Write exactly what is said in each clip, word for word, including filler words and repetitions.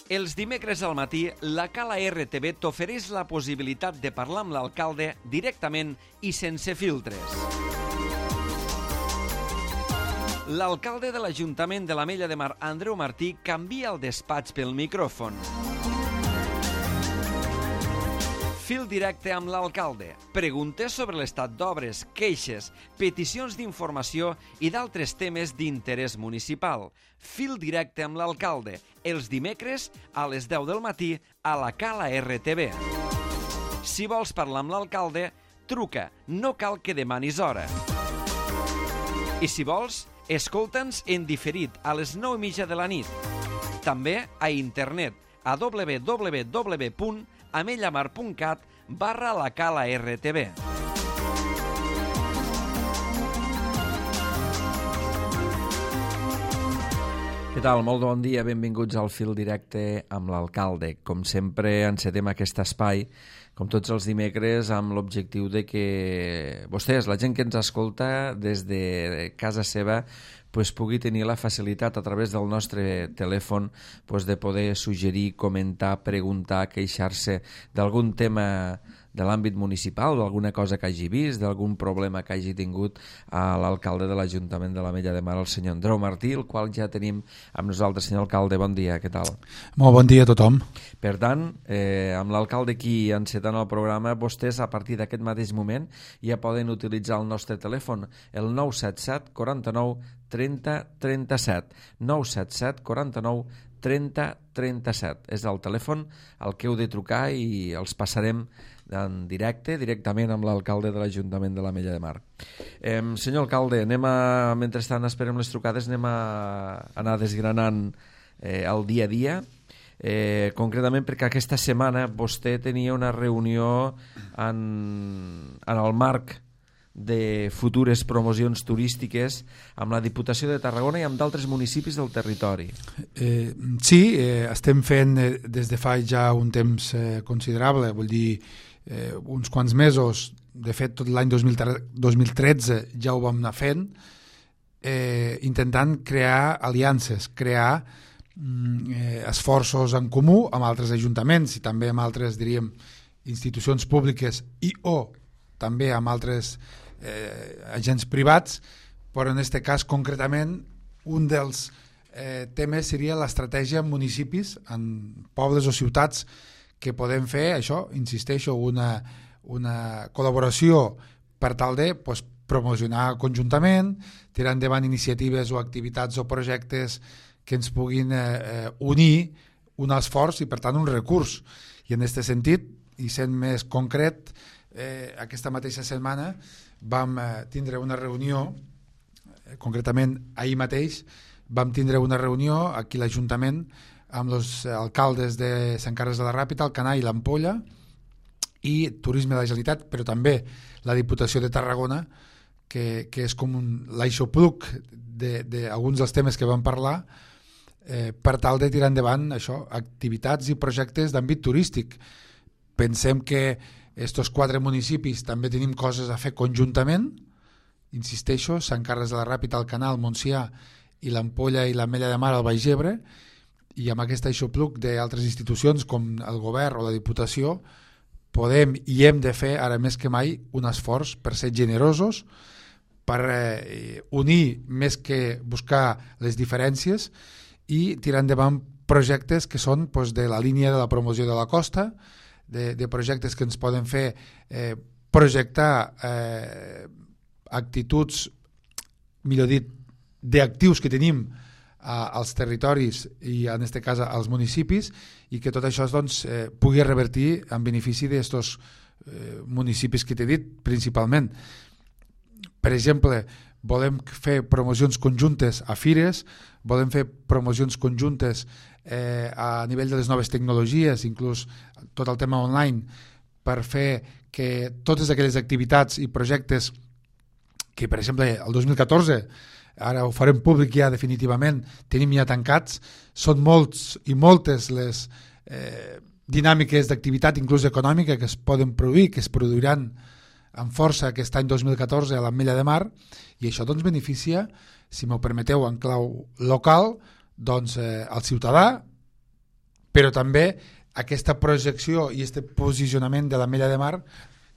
Els dimecres al matí, la Cala R T V t'ofereix la possibilitat de parlar amb l'alcalde directament i sense filtres. L'alcalde de l'Ajuntament de l'Ametlla de Mar, Andreu Martí, canvia el despatx pel micròfon. Fil directe amb l'alcalde. Preguntes sobre l'estat d'obres, queixes, peticions d'informació i d'altres temes d'interès municipal. Fil directe amb l'alcalde. Els dimecres a les deu del matí a la Cala R T V. Si vols parlar amb l'alcalde, truca. No cal que demanis hora. I si vols, escolta'ns en diferit a les nou i mitja de la nit. També a internet a w w w punt amellamar punt cat barra la Cala R T V. Què tal? Molt bon dia, benvinguts al Fil Directe amb l'alcalde. Com sempre, encetem aquest espai, com tots els dimecres, amb l'objectiu de que vostès, la gent que ens escolta des de casa seva, pues, pugui tenir la facilitat a través del nostre telèfon pues, de poder suggerir, comentar, preguntar, queixar-se d'algun tema de l'àmbit municipal, d'alguna cosa que hagi vist, d'algun problema que hagi tingut a l'alcalde de l'Ajuntament de l'Ametlla de Mar, el senyor Andreu Martí, el qual ja tenim amb nosaltres. Senyor alcalde, bon dia, què tal? Molt bon dia a tothom. Per tant, eh, amb l'alcalde aquí encetant el programa, vostès a partir d'aquest mateix moment ja poden utilitzar el nostre telèfon, el nou set set quaranta-nou trenta trenta-set, nou set set quaranta-nou trenta trenta-set. És el telèfon al que heu de trucar i els passarem en directe, directament amb l'alcalde de l'Ajuntament de l'Ametlla de Mar. Eh, senyor alcalde, anem a, mentrestant esperem les trucades, anem a anar desgranant eh, el dia a dia, eh, concretament perquè aquesta setmana vostè tenia una reunió en, en el marc de futures promocions turístiques amb la Diputació de Tarragona i amb d'altres municipis del territori. Eh, sí, eh, estem fent eh, des de fa ja un temps eh, considerable, vull dir, eh, uns quants mesos, de fet tot l'any dos mil tretze ja ho vam anar fent, eh, intentant crear aliances, crear eh, esforços en comú amb altres ajuntaments i també amb altres, diríem, institucions públiques i o també amb altres eh, agents privats, però en aquest cas concretament un dels eh, temes seria l'estratègia en municipis, en pobles o ciutats, que podem fer això, insisteixo, una, una col·laboració per tal de pues, promocionar conjuntament, tirar endavant iniciatives o activitats o projectes que ens puguin eh, unir un esforç i per tant un recurs. I en aquest sentit, i sent més concret, eh, aquesta mateixa setmana vam eh, tindre una reunió, eh, concretament ahir mateix vam tindre una reunió aquí a l'Ajuntament amb els alcaldes de Sant Carles de la Ràpita, Alcanar i l'Ampolla i Turisme de la Generalitat, però també la Diputació de Tarragona, que, que és com un l'aixopluc d'alguns de, dels temes que vam parlar, eh, per tal de tirar endavant això, activitats i projectes d'àmbit turístic. Pensem que estos quatre municipis també tenim coses a fer conjuntament, insisteixo, Sant Carles de la Ràpita, Alcanar, el Montsià i l'Ampolla i l'Ametlla de Mar al Baix Ebre, i amb aquest aixopluc d'altres institucions com el govern o la Diputació podem i hem de fer ara més que mai un esforç per ser generosos, per eh, unir més que buscar les diferències i tirar endavant projectes que són pues, de la línia de la promoció de la costa, de, de projectes que ens poden fer eh, projectar eh, actituds, millor dit, d'actius que tenim als territoris i en aquest cas als municipis i que tot això doncs, eh, pugui revertir en benefici d'aquests eh, municipis que t'he dit principalment. Per exemple, volem fer promocions conjuntes a fires, volem fer promocions conjuntes eh, a nivell de les noves tecnologies, inclús tot el tema online, per fer que totes aquelles activitats i projectes que, per exemple, el dos mil catorze ara ho farem públic ja definitivament, tenim ja tancats, són molts i moltes les eh, dinàmiques d'activitat, inclús econòmica, que es poden produir, que es produiran amb força aquest any dos mil catorze a l'Ametlla de Mar, i això doncs beneficia, si m'ho permeteu en clau local, doncs eh, el ciutadà, però també aquesta projecció i aquest posicionament de l'Ametlla de Mar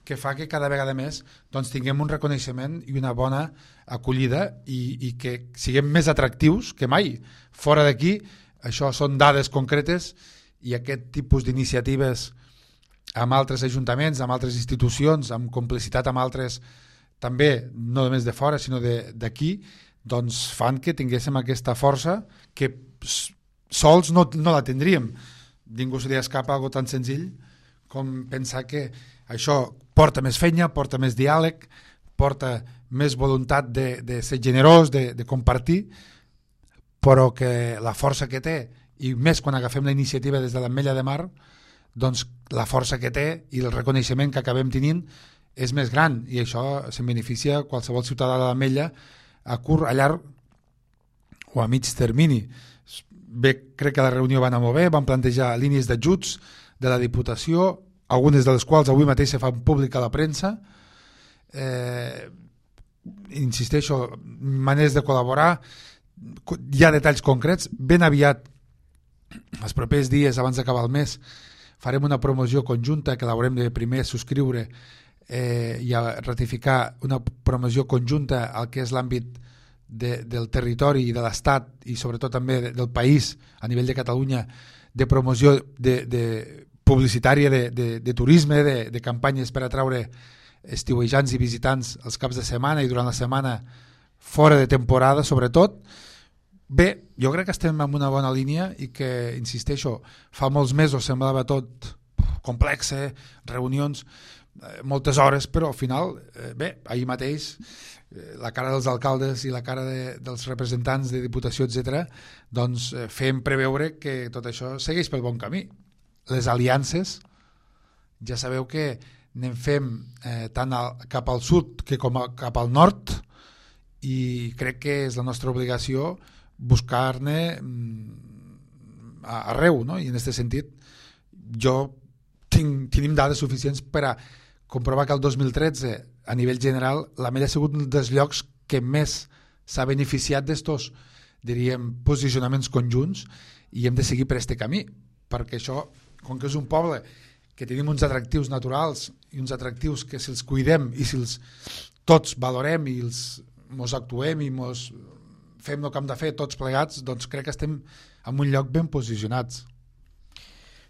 que fa que cada vegada més doncs, tinguem un reconeixement i una bona acollida i, i que siguem més atractius que mai. Fora d'aquí, això són dades concretes i aquest tipus d'iniciatives amb altres ajuntaments, amb altres institucions, amb complicitat amb altres, també no només de fora sinó d'aquí, doncs fan que tinguéssim aquesta força que sols no, no la tindríem. Ningú se li escapa algo tan senzill com pensar que això porta més feina, porta més diàleg, porta més voluntat de, de ser generós, de, de compartir, però que la força que té, i més quan agafem la iniciativa des de l'Ametlla de Mar, doncs la força que té i el reconeixement que acabem tenint és més gran, i això se'n beneficia qualsevol ciutadà de l'Ametlla a curt, a llarg o a mig termini. Bé, crec que la reunió va anar molt bé, van plantejar línies d'ajuts de la Diputació, algunes de les quals avui mateix se fan públic a la premsa. Eh, insisteixo, maneres de col·laborar, hi ha detalls concrets. Ben aviat, els propers dies, abans d'acabar el mes, farem una promoció conjunta que l'haurem de primer subscriure eh, i a ratificar una promoció conjunta al que és l'àmbit de, del territori i de l'Estat i sobretot també de, del país a nivell de Catalunya, de promoció de, de publicitària de, de, de turisme, de, de campanyes per atraure estiuejants i visitants els caps de setmana i durant la setmana fora de temporada sobretot. Bé, jo crec que estem en una bona línia i que, insisteixo, fa molts mesos semblava tot complex, reunions, moltes hores, però al final, bé, ahir mateix la cara dels alcaldes i la cara de, dels representants de Diputació, etcètera, doncs fem preveure que tot això segueix pel bon camí. Les aliances, ja sabeu que anem fent eh, tant al, cap al sud que com a, cap al nord, i crec que és la nostra obligació buscar-ne arreu, no? I en aquest sentit jo tinc, tenim dades suficients per a comprovar que el dos mil tretze a nivell general l'Ametlla ha sigut un dels llocs que més s'ha beneficiat d'estos, diríem, posicionaments conjunts, i hem de seguir per este camí, perquè això, com que és un poble que tenim uns atractius naturals i uns atractius que si els cuidem i si els tots valorem i els mos actuem i mos fem el que hem de fer tots plegats, doncs crec que estem en un lloc ben posicionats.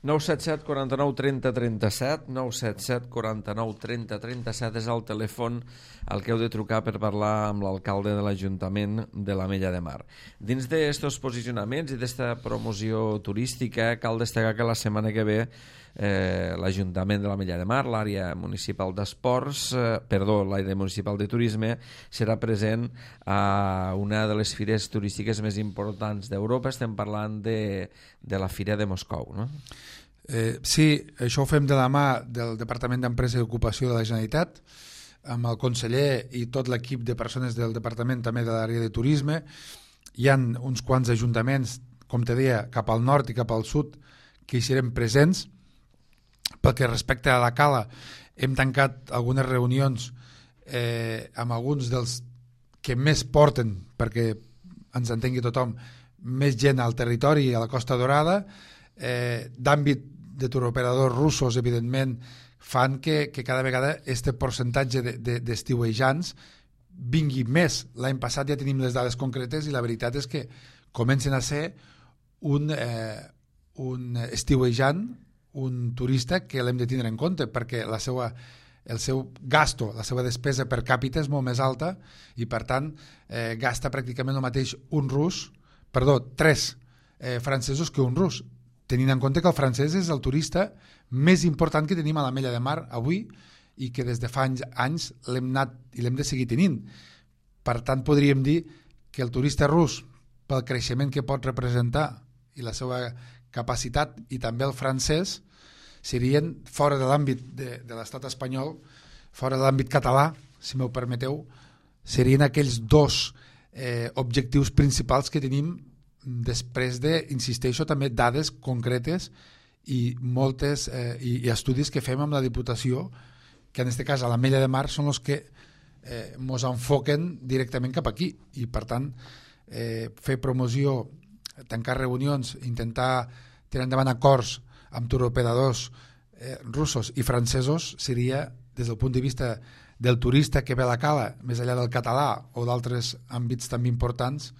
nou set set, quaranta-nou, trenta, trenta-set, nou set set, quaranta-nou, trenta, trenta-set és el telèfon al que heu de trucar per parlar amb l'alcalde de l'Ajuntament de l'Ametlla de Mar. Dins d'aquests posicionaments i d'aquesta promoció turística, cal destacar que la setmana que ve eh, l'Ajuntament de l'Ametlla de Mar, l'àrea municipal d'esports, eh, perdó, l'àrea municipal de turisme, serà present a una de les fires turístiques més importants d'Europa. Estem parlant de, de la Fira de Moscou, no? Eh, sí, això ho fem de la mà del Departament d'Empresa i Ocupació de la Generalitat, amb el conseller i tot l'equip de persones del departament també de l'àrea de turisme. Hi ha uns quants ajuntaments, com te deia, cap al nord i cap al sud, que hi serem presents. Pel que respecta a la Cala, hem tancat algunes reunions eh, amb alguns dels que més porten, perquè ens entengui tothom, més gent al territori i a la Costa Dorada, eh, d'àmbit de turoperadors russos, evidentment, fan que, que cada vegada este percentatge d'estiuejants de, de, vingui més. L'any passat ja tenim les dades concretes i la veritat és que comencen a ser un, eh, un estiuejant, un turista que l'hem de tindre en compte, perquè la seva, el seu gasto, la seva despesa per càpita és molt més alta i, per tant, eh, gasta pràcticament el mateix un rus, perdó, tres eh, francesos que un rus, tenint en compte que el francès és el turista més important que tenim a l'Ametlla de Mar avui i que des de fa anys, anys l'hem anat i l'hem de seguir tenint. Per tant, podríem dir que el turista rus, pel creixement que pot representar i la seva capacitat, i també el francès, serien fora de l'àmbit de, de l'estat espanyol, fora de l'àmbit català, si m'ho permeteu, serien aquells dos eh, objectius principals que tenim després de, insisteixo, també dades concretes i moltes eh, i, i estudis que fem amb la Diputació, que en aquest cas a l'Ametlla de Mar són els que eh, mos enfoquen directament cap aquí, i per tant eh, fer promoció, tancar reunions, intentar tirar endavant acords amb turoperadors eh, russos i francesos seria, des del punt de vista del turista que ve a la cala, més enllà del català o d'altres àmbits també importants,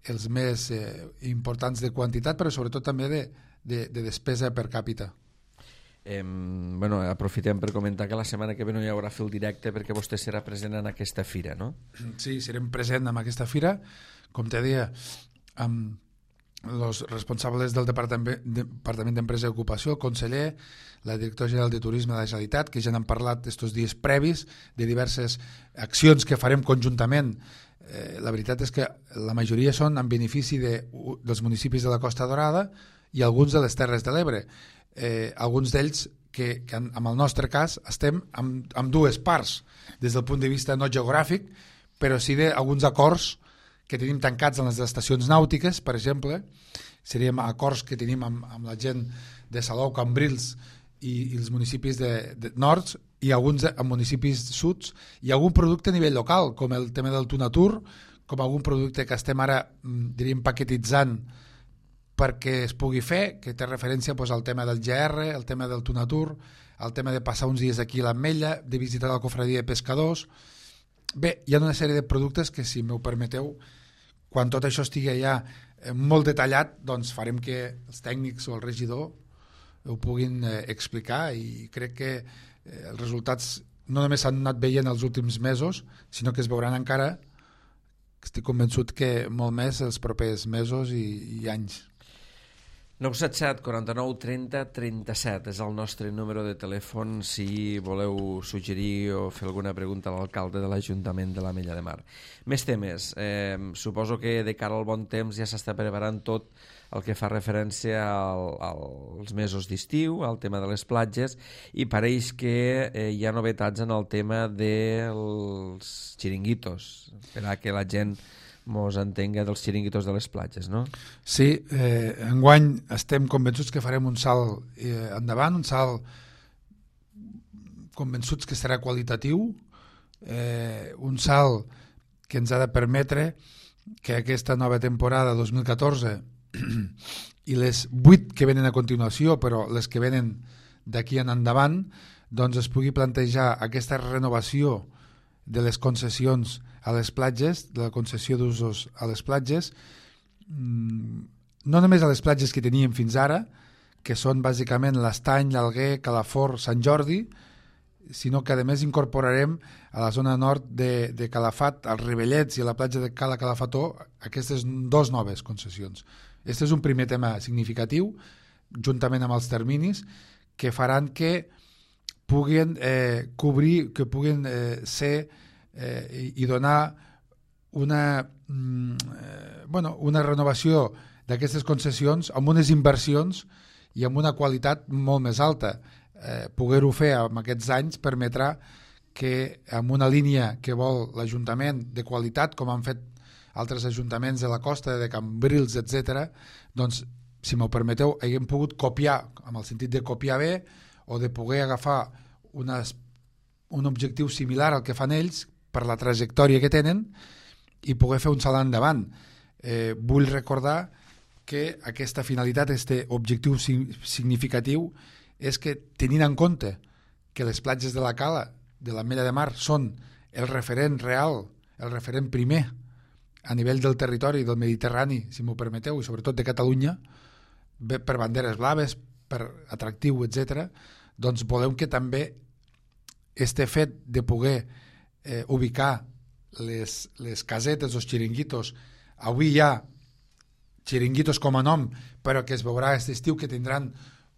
els més eh, importants de quantitat, però sobretot també de, de, de despesa per càpita. Eh, bueno, aprofitem per comentar que la setmana que ve no hi haurà fil directe perquè vostè serà present en aquesta fira, no? Sí, serem present en aquesta fira, com te deia, amb els responsables del Departament Departament d'Empresa i Ocupació, el conseller, la directora general de Turisme de la Generalitat, que ja n'han parlat estos dies previs de diverses accions que farem conjuntament. Eh, la veritat és que la majoria són en benefici de, dels municipis de la Costa Dorada i alguns de les Terres de l'Ebre. Eh, alguns d'ells que, que en, en el nostre cas estem amb, amb dues parts, des del punt de vista no geogràfic, però sí d'alguns acords que tenim tancats en les estacions nàutiques, per exemple, serien acords que tenim amb, amb la gent de Salou, Cambrils i, i els municipis de, de nords, i alguns de, amb municipis suds, i algun producte a nivell local, com el tema del Tunatur, com algun producte que estem ara, diríem, paquetitzant perquè es pugui fer, que té referència pues, al tema del G R, el tema del Tunatur, el tema de passar uns dies aquí a l'Ametlla, de visitar la cofradia de pescadors. Bé, hi ha una sèrie de productes que, si m'ho permeteu, quan tot això estigui ja molt detallat, doncs farem que els tècnics o el regidor ho puguin eh, explicar, i crec que eh, els resultats no només s'han anat veient els últims mesos, sinó que es veuran encara, estic convençut que molt més els propers mesos i, i anys. nou set set, quaranta-nou, trenta, trenta-set és el nostre número de telèfon si voleu suggerir o fer alguna pregunta a l'alcalde de l'Ajuntament de l'Ametlla de Mar. Més temes. Eh, suposo que de cara al bon temps ja s'està preparant tot el que fa referència al, als mesos d'estiu, al tema de les platges, i pareix que eh, hi ha novetats en el tema dels xiringuitos, per a que la gent mos entenga dels xiringuitos de les platges, no? Sí, eh, enguany estem convençuts que farem un salt eh, endavant, un salt convençuts que serà qualitatiu, eh, un salt que ens ha de permetre que aquesta nova temporada dos mil catorze i les vuit que venen a continuació, però les que venen d'aquí en endavant, doncs es pugui plantejar aquesta renovació de les concessions a les platges, de la concessió d'usos a les platges, no només a les platges que teníem fins ara, que són bàsicament l'Estany, l'Alguer, Calafort, Sant Jordi, sinó que a més incorporarem a la zona nord de, de Calafat, als Rivellets i a la platja de Cala Calafató, aquestes dos noves concessions. Aquest és un primer tema significatiu, juntament amb els terminis, que faran que puguin eh, cobrir, que puguin eh, ser eh, i, i donar una, eh, bueno, una renovació d'aquestes concessions amb unes inversions i amb una qualitat molt més alta. Eh, poder-ho fer en aquests anys permetrà que amb una línia que vol l'Ajuntament de qualitat, com han fet altres ajuntaments de la costa, de Cambrils, etcètera, doncs, si m'ho permeteu, haguem pogut copiar, amb el sentit de copiar bé, o de poder agafar unes, un objectiu similar al que fan ells per la trajectòria que tenen i poder fer un salt endavant. Eh, vull recordar que aquesta finalitat, aquest objectiu significatiu, és que tenint en compte que les platges de la Cala, de l'Ametlla de Mar, són el referent real, el referent primer a nivell del territori del Mediterrani, si m'ho permeteu, i sobretot de Catalunya, per banderes blaves, per atractiu, etcètera, doncs volem que també este fet de poder eh, ubicar les, les casetes, els xiringuitos, avui hi ha xiringuitos com a nom, però que es veurà aquest estiu que tindran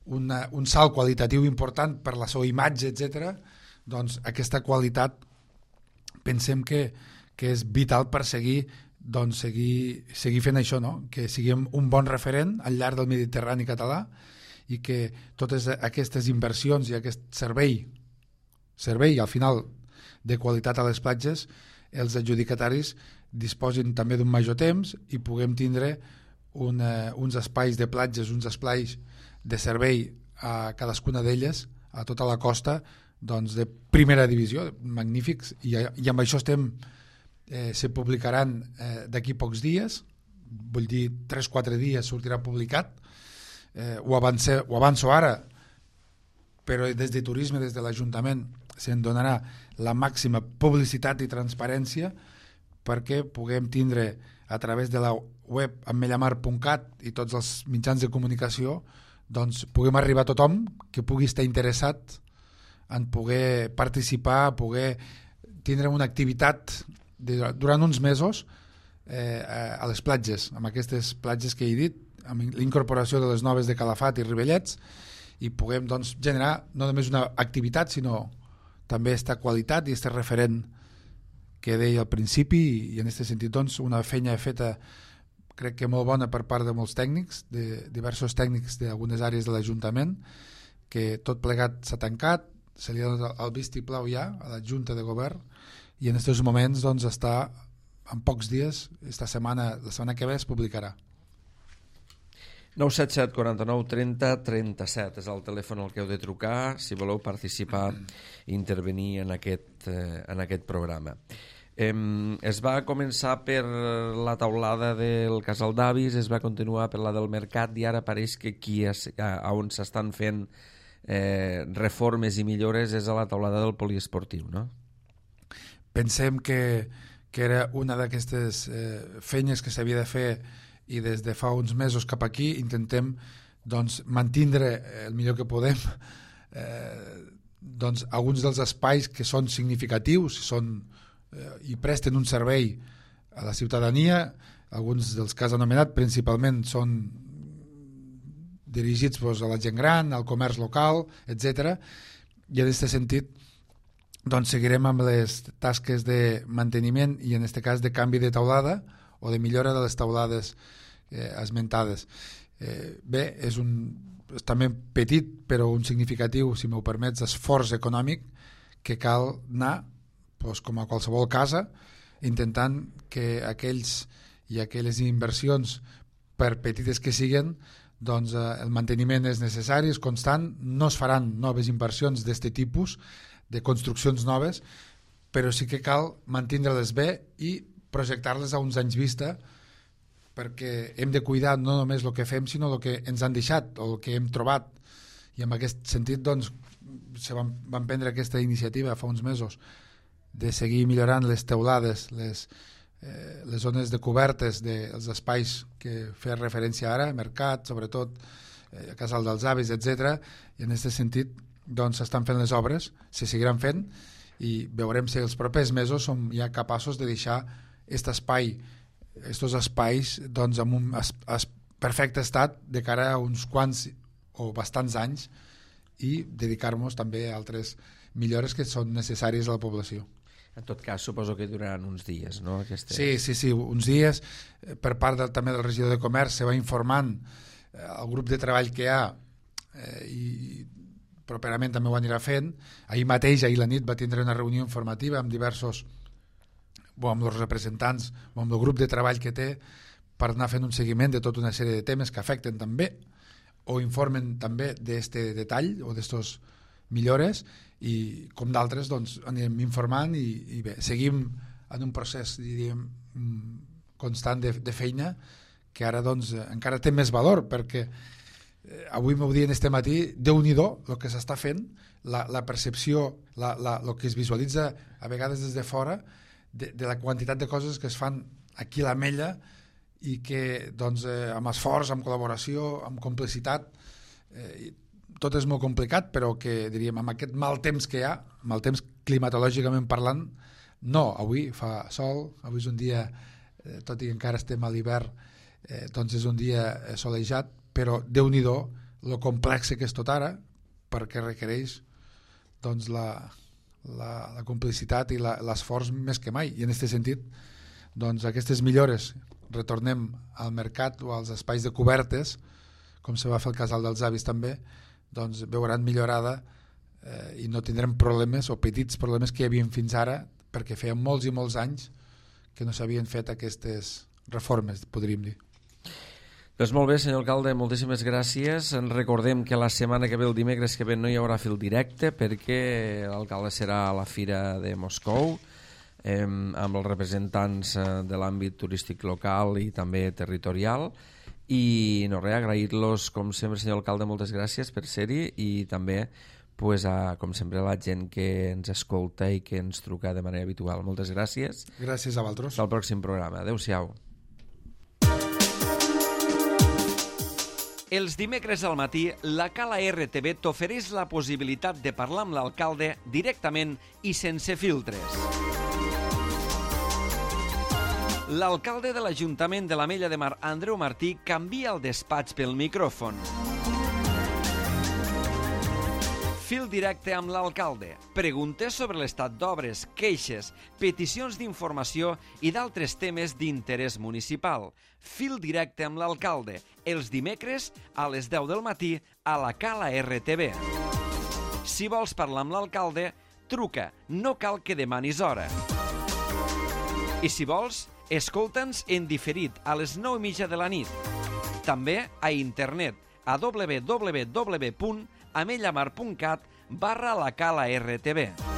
una, un salt qualitatiu important per la seva imatge, etcètera, doncs aquesta qualitat pensem que, que és vital per seguir, doncs, seguir, seguir fent això, no? Que siguem un bon referent al llarg del Mediterrani català i que totes aquestes inversions i aquest servei, servei al final de qualitat a les platges, els adjudicataris disposin també d'un major temps i puguem tindre una, uns espais de platges, uns espais de servei a cadascuna d'elles, a tota la costa, doncs de primera divisió, magnífics, i, i amb això estem, eh, se publicaran eh, d'aquí pocs dies, vull dir tres o quatre dies sortirà publicat, eh, ho, avance, ho avanço ara, però des de turisme, des de l'Ajuntament, se'n donarà la màxima publicitat i transparència perquè puguem tindre a través de la web amellamar punt cat i tots els mitjans de comunicació, doncs puguem arribar a tothom que pugui estar interessat en poder participar, poder tindre una activitat de, durant uns mesos eh, a les platges, amb aquestes platges que he dit, amb l'incorporació de les noves de Calafat i Rivellets, i puguem doncs, generar no només una activitat, sinó també aquesta qualitat i aquest referent que deia al principi, i en aquest sentit doncs, una feina feta crec que molt bona per part de molts tècnics, de diversos tècnics d'algunes àrees de l'Ajuntament, que tot plegat s'ha tancat, se li ha donat el vistiplau ja a la Junta de Govern, i en aquests moments doncs, està en pocs dies, esta setmana, la setmana que ve es publicarà. nou set set quaranta-nou trenta trenta-set és el telèfon al que heu de trucar si voleu participar i intervenir en aquest, eh, en aquest programa. Eh, es va començar per la taulada del Casal d'Avis, es va continuar per la del Mercat i ara pareix que aquí és, a on s'estan fent eh, reformes i millores és a la taulada del poliesportiu, no? Pensem que, que era una d'aquestes eh, feines que s'havia de fer i des de fa uns mesos cap aquí intentem doncs, mantindre el millor que podem eh, doncs, alguns dels espais que són significatius són, eh, i presten un servei a la ciutadania, alguns dels que has anomenat principalment són dirigits doncs, a la gent gran, al comerç local, etcètera. I en aquest sentit doncs, seguirem amb les tasques de manteniment i en aquest cas de canvi de taulada o de millora de les taulades eh, esmentades. Eh, bé, és un és també petit però un significatiu, si m'ho permets, esforç econòmic que cal anar, doncs, com a qualsevol casa, intentant que aquells i aquelles inversions, per petites que siguen, doncs eh, el manteniment és necessari, és constant, no es faran noves inversions d'aquest tipus, de construccions noves, però sí que cal mantindre-les bé i projectar-les a uns anys vista perquè hem de cuidar no només el que fem sinó el que ens han deixat o el que hem trobat, i en aquest sentit doncs se van, van prendre aquesta iniciativa fa uns mesos de seguir millorant les teulades, les, eh, les zones de cobertes dels espais que feia referència ara, mercat, sobretot eh, Casal dels Avis, etcètera. I en aquest sentit doncs s'estan fent les obres, se seguiran fent i veurem si els propers mesos som ja capaços de deixar aquest espai, estos espais doncs, en un es, es perfecte estat de cara a uns quants o bastants anys i dedicar-nos també a altres millores que són necessàries a la població. En tot cas, suposo que duraran uns dies, no? Aquestes... Sí, sí, sí, uns dies. Per part del, també del regidor de Comerç se va informant eh, el grup de treball que hi ha eh, i properament també ho anirà fent. Ahir mateix, ahir la nit, va tindre una reunió informativa amb diversos o amb els representants o amb el grup de treball que té per anar fent un seguiment de tota una sèrie de temes que afecten també o informen també d'aquest detall o d'aquestes millores i com d'altres doncs anem informant i, i bé, seguim en un procés diríem constant de, de feina que ara doncs encara té més valor perquè eh, avui m'ho dient este matí, Déu-n'hi-do el que s'està fent, la, la percepció la, la, el que es visualitza a vegades des de fora De, de la quantitat de coses que es fan aquí a l'Ametlla i que doncs, eh, amb esforç, amb col·laboració, amb complicitat, eh, tot és molt complicat, però que diríem amb aquest mal temps que hi ha, mal temps climatològicament parlant, no, avui fa sol, avui és un dia, eh, tot i que encara estem a l'hivern, eh, doncs és un dia solejat, però Déu-n'hi-do lo complex que és tot ara, perquè requereix doncs la... La, la complicitat i l'esforç més que mai, i en aquest sentit doncs aquestes millores retornem al mercat o als espais de cobertes com se va fer el Casal dels Avis també, doncs veuran millorada eh, i no tindrem problemes o petits problemes que hi havia fins ara perquè feia molts i molts anys que no s'havien fet aquestes reformes, podríem dir. Doncs molt bé, senyor alcalde, moltíssimes gràcies. En recordem que la setmana que ve, el dimecres que ve, no hi haurà fil directe perquè l'alcalde serà a la Fira de Moscou eh, amb els representants eh, de l'àmbit turístic local i també territorial I no res, agrair-los, com sempre, senyor alcalde, moltes gràcies per ser-hi i també, pues, a, com sempre, a la gent que ens escolta i que ens truca de manera habitual. Moltes gràcies. Gràcies a vosaltres. Fins al pròxim programa. Adéu-siau. Els dimecres al matí, la Cala R T V t'ofereix la possibilitat de parlar amb l'alcalde directament i sense filtres. L'alcalde de l'Ajuntament de l'Ametlla de Mar, Andreu Martí, canvia el despatx pel micròfon. Fil directe amb l'alcalde. Preguntes sobre l'estat d'obres, queixes, peticions d'informació i d'altres temes d'interès municipal. Fil directe amb l'alcalde. Els dimecres a les deu del matí a la Cala R T V. Si vols parlar amb l'alcalde, truca. No cal que demanis hora. I si vols, escolta'ns en diferit a les nou i mitja de la nit. També a internet a w w w punt amellamar punt cat barra la Cala R T V.